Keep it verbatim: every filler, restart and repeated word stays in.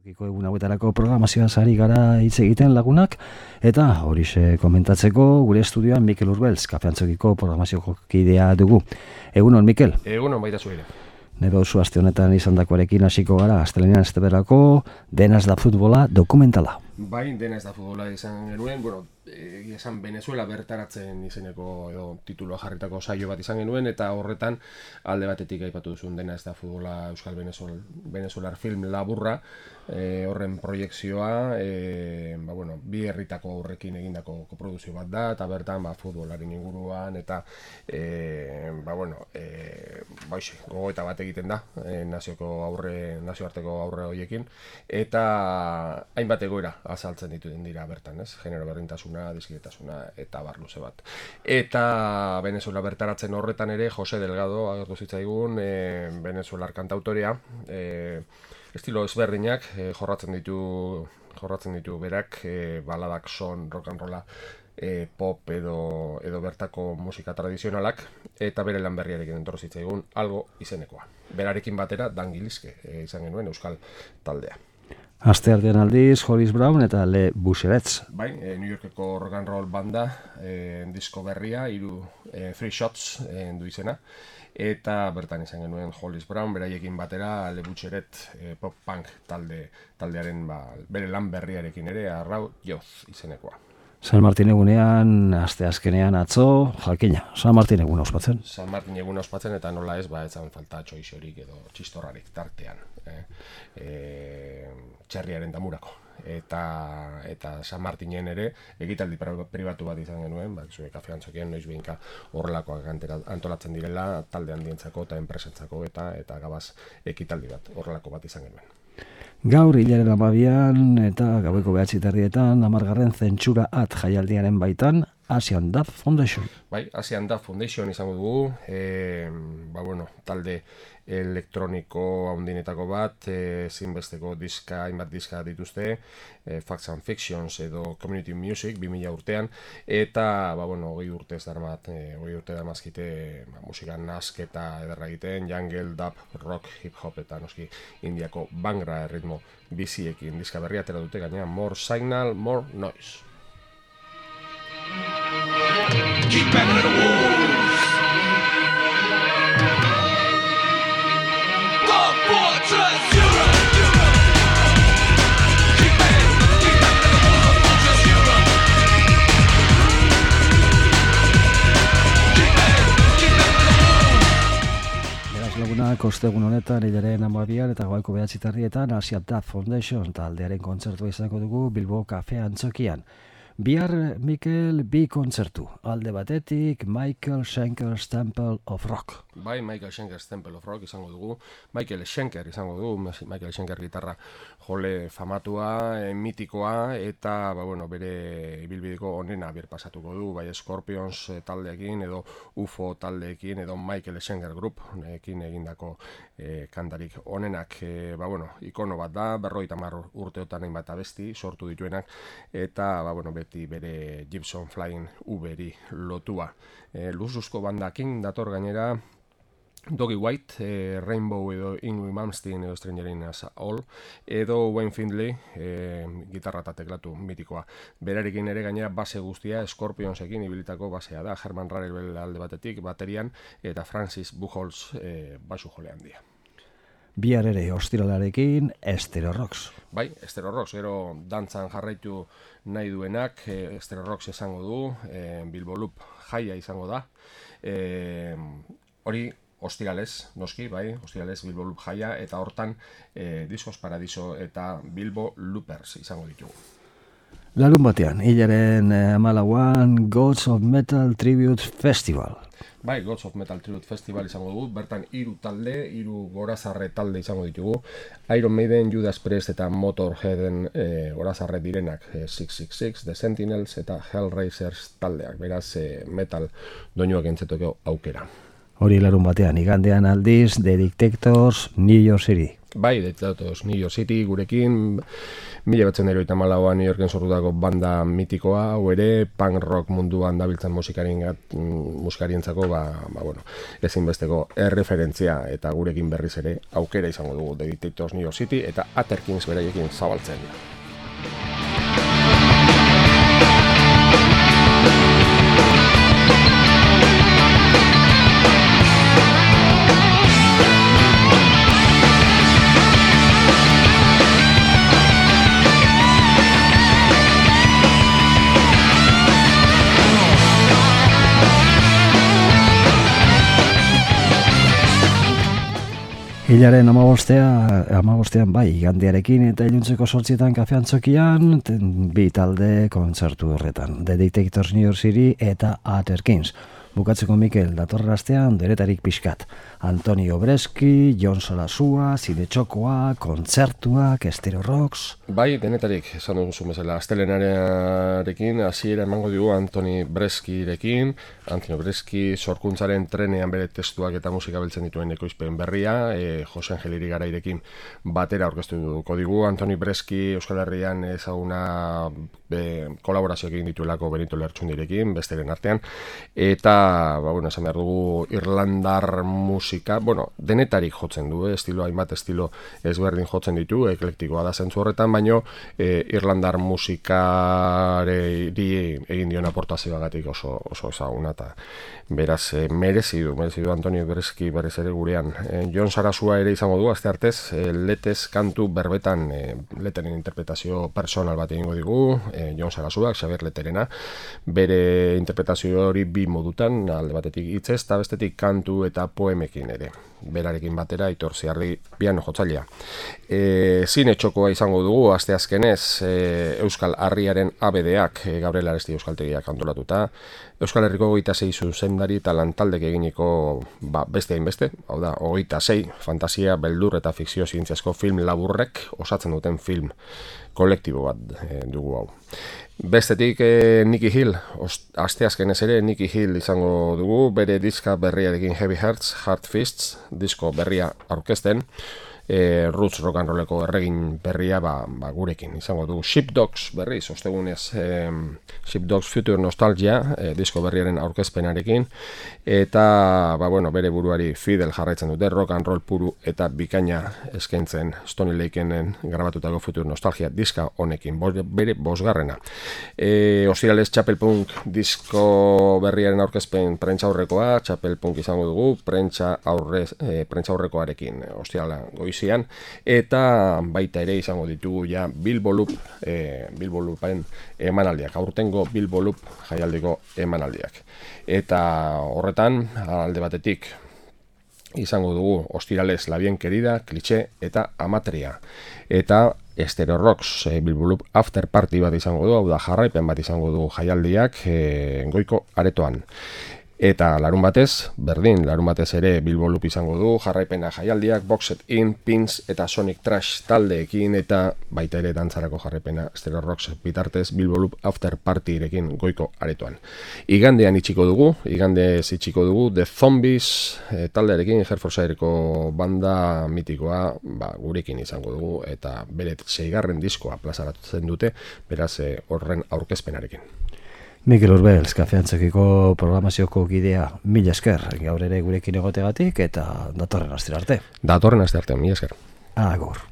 Tokiko egun hauetarako programazioa sari gara hitz egiten lagunak, eta horixe komentatzeko gure estudioan Mikel Urbeltz, Kafeantzokiko programazioko kidea dugu. Egunon, Mikel? Egunon, baita zuire. Nero oso aste honetan izandakoarekin hasiko gara, astelenean esteberako Denaz da futbola dokumentala. Bai, Denaz da futbola izan genuen, bueno, egia esan Venezuela bertaratzen izeneko edo tituloa jarritako saio bat izan genuen, eta horretan alde batetik aipatu duzun Denaz da futbola Euskal Venezuel, Venezuelar film laburra, e, horren proiekzioa, e, ba, bueno, bi herritako aurrekin egindako koproduzio bat da, eta bertan ba, futbolaren inguruan, eta e, ba, bueno, e, ba, ise, gogoeta bat egiten da, e, nazioko aurre, nazioarteko aurre horiekin, eta hainbat egoera azaltzen ditu dira bertan, ez? Genero berdintasuna, dizkidetasuna eta bar luze bat. Eta Venezuela bertaratzen horretan ere Jose Delgado agertu zitzaigun, e, Venezuelar kantautorea, e, estilo ezberdinak e, jorratzen ditu jorratzen ditu berak, e, baladak, son, rock and rolla, e, pop edo edo bertako musika tradizionalak, eta bere lan berriarekin entorri zitzaigun algo izenekoa. Berarekin batera Dan Gilizke e, izan genuen euskal taldea. Asteartean aldiz, Hollis Brown eta Le Buscherets. Bai, e, New Yorkeko rock and roll banda, e, disko berria, hiru e, Three Shots e, du izena, eta bertan izan genuen Hollis Brown, beraiekin batera Le Buscheret e, pop punk talde, taldearen ba, bere lan berriarekin ere, Arrau Joz izenekoa. San Martin egunean, aste azkenean atzo, jakina, San Martin egun ospatzen. San Martin egun ospatzen, eta nola ez, ba, etzan falta txoixorik edo txistorrarik tartean. Eh? E, txerriaren damurako. Eta, eta San Martinen ere, egitaldi pribatu bat izan genuen, ba, zure Kafeantzokien noiz behinka horrelakoak antolatzen direla, talde handientzako eta enpresentzako, eta eta gabaz ekitaldi bat, horrelako bat izan genuen. Gaur hilaren amabian eta gaueko behatzi terrietan hamargarren zentsura at jaialdiaren baitan Asian Dub Foundation. Bai, Asian Dub Foundation izango dugu, e, ba bueno, talde elektroniko handinetako bat, e, zinbesteko diska, hainbat diska dituzte, e, Facts and Fictions edo Community Music bi mila urtean, eta ba bueno, hogei urtez darmat, e, hogei urte darmazkite ba, musika nasketa ederra egiten, jungle, dub, rock, hip hop eta noski indiako bangra erritmo biziekin diska berria atera dute, gainera More Signal, More Noise. Keep banging the walls. Go Fortress Europe, Europe. Keep banging, keep banging the walls. Fortress Europe. Keep banging, keep banging the walls. Beraz lagunak, ostegun honetan hilaren amabian eta gaueko behatzi terrietan Asian Dub Foundation taldearen kontzertua izango dugu Bilbo Kafeantzokian. Bihar, Mikel, bi kontzertu. Alde batetik, Michael Schenker's Temple of Rock. Bai, Michael Schenker's Temple of Rock izango dugu. Michael Schenker izango dugu. Michael Schenker gitarra jole famatua, e, mitikoa, eta ba, bueno, bere ibilbideko onena birpasatuko du. Bai, Scorpions taldeekin, edo U F O taldeekin, edo Michael Schenker Group ekin egindako e, kantarik onenak. E, ba, bueno, ikono bat da, berrogeita hamar urteotan hainbat abesti sortu dituenak, eta ba, bueno, bere Gibson Flying Uberi lotua. E, Luzuzko bandakin dator gainera Doggy White, e, Rainbow edo Ingrid Malmsteen edo Stranger in Us All, edo Wayne Findlay, e, gitarra eta teklatu mitikoa. Berarekin ere gainera base guztia Scorpionsekin ibilitako basea da, Herman Rarel alde batetik, baterian, eta Francis Buchholz e, basu jole handia. Bihar ere ostiralarekin Estero Rocks. Bai, Estero Rocks, gero dantzan jarraitu nahi duenak, e, Estero Rocks izango du, e, Bilbo Loop jaia izango da. E, hori ostiralez, noski, bai, ostiralez Bilbo Loop jaia, eta hortan e, Discos Paradiso eta Bilbo Loopers izango ditugu. Larun batean, hilaren hamalauan Gods of Metal Tribute Festival. Bai, Gods of Metal Tribute Festival izango dugu, bertan hiru talde, hiru gorazarre talde izango ditugu. Iron Maiden, Judas Priest eta Motorheaden e, gorazarre direnak, e, six six six, The Sentinels eta Hellraisers taldeak, beraz e, metal doinuak entzetoko aukera. Hori larun batean, igandean aldiz, The Dictators, New York City. Bai, detotos New York City gurekin, mila batzen eroita malauan New Yorken sortutako banda mitikoa, hau ere, punk rock munduan dabiltzan musikarien musikarientzako, ba, ba, bueno, ezinbesteko erreferentzia, eta gurekin berriz ere aukera izango dugu The Dictators New York City, eta Atterkins beraiekin zabaltzen. Hilaren amabostean bai, igandearekin eta iluntzeko sortzietan Kafe Antzokian, bi talde kontzertu horretan, The Dictators New York City eta Atterkins. Bukatzeko Mikel, datorren astean deretarik pixkat. Antonio Breski, Jon Sarasua, Zide Txokoa, kontzertuak, Estero Rocks... Bai, denetarik, esan duzu bezala, astelenarekin, hasiera emango dugu Antoni Breskirekin, Antonio Breski sorkuntzaren trenean bere testuak eta musika beltzen dituen ekoizpen berria, e, Jose Angeliri Garairekin batera aurkeztu dugu digu, Antoni Breski Euskal Herrian ezaguna be, kolaborazioak egin dituelako Benito Lertxundirekin, besteren artean, eta ba, bueno, esan behar dugu Irlandar musika, bueno, denetarik jotzen du, eh? estilo, hainbat estilo ezberdin jotzen ditu, eklektikoa da zentzu horretan, baino eh, Irlandar musikari egin dion aportazioagatik oso, oso ezaguna, eta beraz, eh, merezi du, merezi du Antonio Breski berez ere gurean. Eh, Jon Sarasua ere izango du, aste artez, eh, letez kantu berbetan, eh, leteren interpretazio personal bat egingo digu, eh, Jon Sarasuak, Xabier Leterena, bere interpretazio hori bi modutan, alde batetik hitzez, eta bestetik kantu eta poemekin ere. Berarekin batera, Aitor Ziarri piano jotzailea. E, Zine Txokoa izango dugu, aste azkenez, e, Euskal Harriaren abedeak, e, Gabriel Aresti Euskaltegiak antolatuta, Euskal Herriko hogeita sei zuzendari eta lantaldek eginiko ba, beste hainbeste, hau da, hogeita sei fantasia, beldur eta fikzio zientziazko film laburrek osatzen duten film kolektibo bat e, dugu hau. Bestetik eh, Nicky Hill, asteazkenez ere Nicky Hill izango dugu, bere diska berriarekin Heavy Hearts, Hard Fists, disko berria aurkezten, e, roots rock and rolleko erregin berria ba, ba, gurekin izango dugu. Sheepdogs berriz, ostegunez e, Sheepdogs Future Nostalgia, e, disko berriaren aurkezpenarekin, eta ba, bueno, bere buruari fidel jarraitzen dute, rock and roll puru eta bikaina eskaintzen Stony Lakeen grabatutako Future Nostalgia diska honekin, bere bosgarrena. E, Ostirales Chapelpunk disko berriaren aurkezpen prentxaurrekoa, Chapelpunk izango dugu, prentxa aurrez, e, prentxaurrekoarekin ostirala goizian, eta baita ere izango ditugu ja Bilbo Loop, e, Bilbo Loopen emanaldiak, aurtengo Bilbo Loop jaialdiko emanaldiak. Eta horretan, alde batetik, izango dugu Ostirales La Bien Querida, Cliché eta Amatria. Eta Estero Rocks, e, Bilbo Loop After Party bat izango du, hau da jarraipen bat izango du jaialdiak e, goiko aretoan. Eta larun batez, berdin, larun batez ere Bilbo Loop izango du, jarraipena jaialdiak, Boxed In, Pins eta Sonic Trash taldeekin, eta baita ere dantzarako jarraipena Estero Rocks bitartez Bilbo Loop After Partyrekin goiko aretoan. Igandean itxiko dugu, igandez itxiko dugu, The Zombies e, taldearekin, Hertfordshireko banda mitikoa ba, gurekin izango dugu, eta bere seigarren diskoa plazaratzen dute, beraz e, horren aurkezpenarekin. Mikel Urbels, Kafe Antzokiko programazioko gidea, mila esker, gaur ere gurekin egotegatik, eta datorren astera arte. Datorren astera arte, mila esker. Agur.